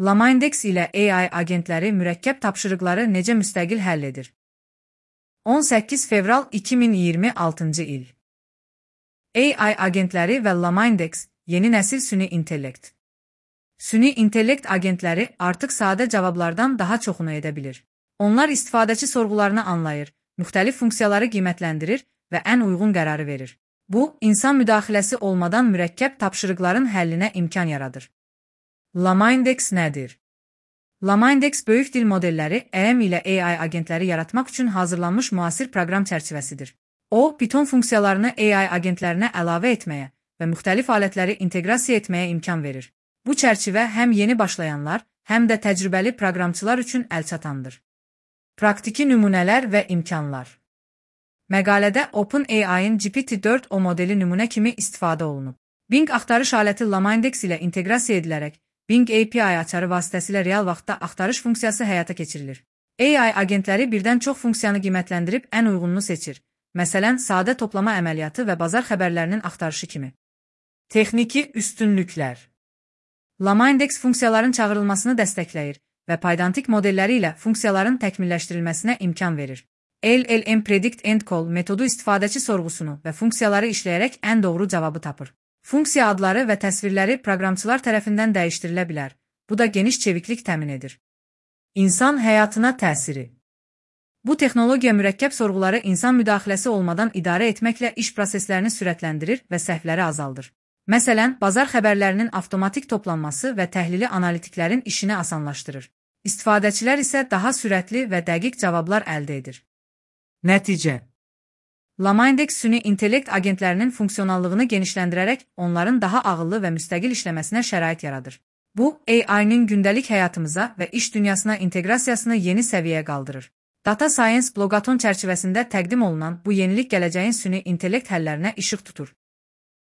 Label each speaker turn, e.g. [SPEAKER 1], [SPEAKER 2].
[SPEAKER 1] LaMindex ilə AI agentləri mürəkkəb tapşırıqları necə müstəqil həll edir? 18 fevral 2026-cı il. AI agentləri və LaMindex yeni nəsil süni intellekt. Süni intellekt agentləri artıq sadə cavablardan daha çoxunu edə bilir. Onlar istifadəçi sorğularını anlayır, müxtəlif funksiyaları qiymətləndirir və ən uyğun qərarı verir. Bu, insan müdaxiləsi olmadan mürəkkəb tapşırıqların həllinə imkan yaradır. LaMindex nədir? LaMindex böyük dil modelləri EM ilə AI agentləri yaratmaq üçün hazırlanmış müasir proqram çərçivəsidir. O, Python funksiyalarını AI agentlərinə əlavə etməyə və müxtəlif alətləri inteqrasiya etməyə imkan verir. Bu çərçivə həm yeni başlayanlar, həm də təcrübəli proqramçılar üçün əlçatandır. Praktiki nümunələr və imkanlar. Məqalədə OpenAI-ın GPT-4o modeli nümunə kimi istifadə olunub. Bing axtarış aləti LaMindex ilə inteqrasiya edilərək, Bing API açarı vasitəsilə real vaxtda axtarış funksiyası həyata keçirilir. AI agentləri birdən çox funksiyanı qiymətləndirib ən uyğununu seçir. Məsələn, sadə toplama əməliyyatı və bazar xəbərlərinin axtarışı kimi. Texniki üstünlüklər. LaMindex funksiyaların çağırılmasını dəstəkləyir və paydantik modelləri ilə funksiyaların təkmilləşdirilməsinə imkan verir. LLM Predict and Call metodu istifadəçi sorğusunu və funksiyaları işləyərək ən doğru cavabı tapır. Funksiya adları və təsvirləri proqramçılar tərəfindən dəyişdirilə bilər. Bu da geniş çeviklik təmin edir. İnsan həyatına təsiri. Bu texnologiya mürəkkəb sorğuları insan müdaxiləsi olmadan idarə etməklə iş proseslərini sürətləndirir və səhvləri azaldır. Məsələn, bazar xəbərlərinin avtomatik toplanması və təhlili analitiklərin işini asanlaşdırır. İstifadəçilər isə daha sürətli və dəqiq cavablar əldə edir. Nəticə. LaMindex süni intellekt agentlərinin funksionallığını genişləndirərək onların daha ağıllı və müstəqil işləməsinə şərait yaradır. Bu, AI-nin gündəlik həyatımıza və iş dünyasına inteqrasiyasını yeni səviyyəyə qaldırır. Data Science Blogaton çərçivəsində təqdim olunan bu yenilik gələcəyin süni intellekt həllərinə işıq tutur.